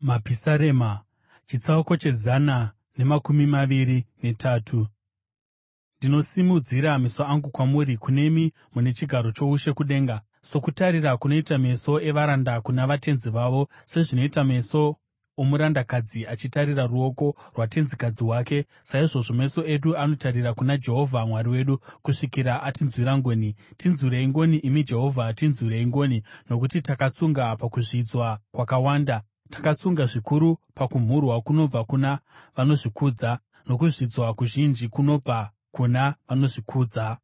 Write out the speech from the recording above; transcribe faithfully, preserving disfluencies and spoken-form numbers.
Mapisarema Chitsauko chezana nemakumi maviri netatu. Ndinosimudzira meso angu kwamuri, kunemi mune chigaro choushe kudenga. Sokutarira kunoita meso evaranda kuna vatenzi vavo, sezvinoita meso omurandakadzi achitarira ruoko rwatenzikadzi wake, saizvozvo meso edu anotarira kuna Jehovha Mwari wedu, kusvikira atinzwira ngoni. Tinzwirei ngoni, imi Jehovha, tinzwirei ngoni, nokuti takatsunga pakuzvidzwa kwakawanda. Takatsunga zvikuru pakumhurwa kunobva kuna vanozvikudza, nokuzvidzwa kuzhinji kunobva kuna vanozvikudza.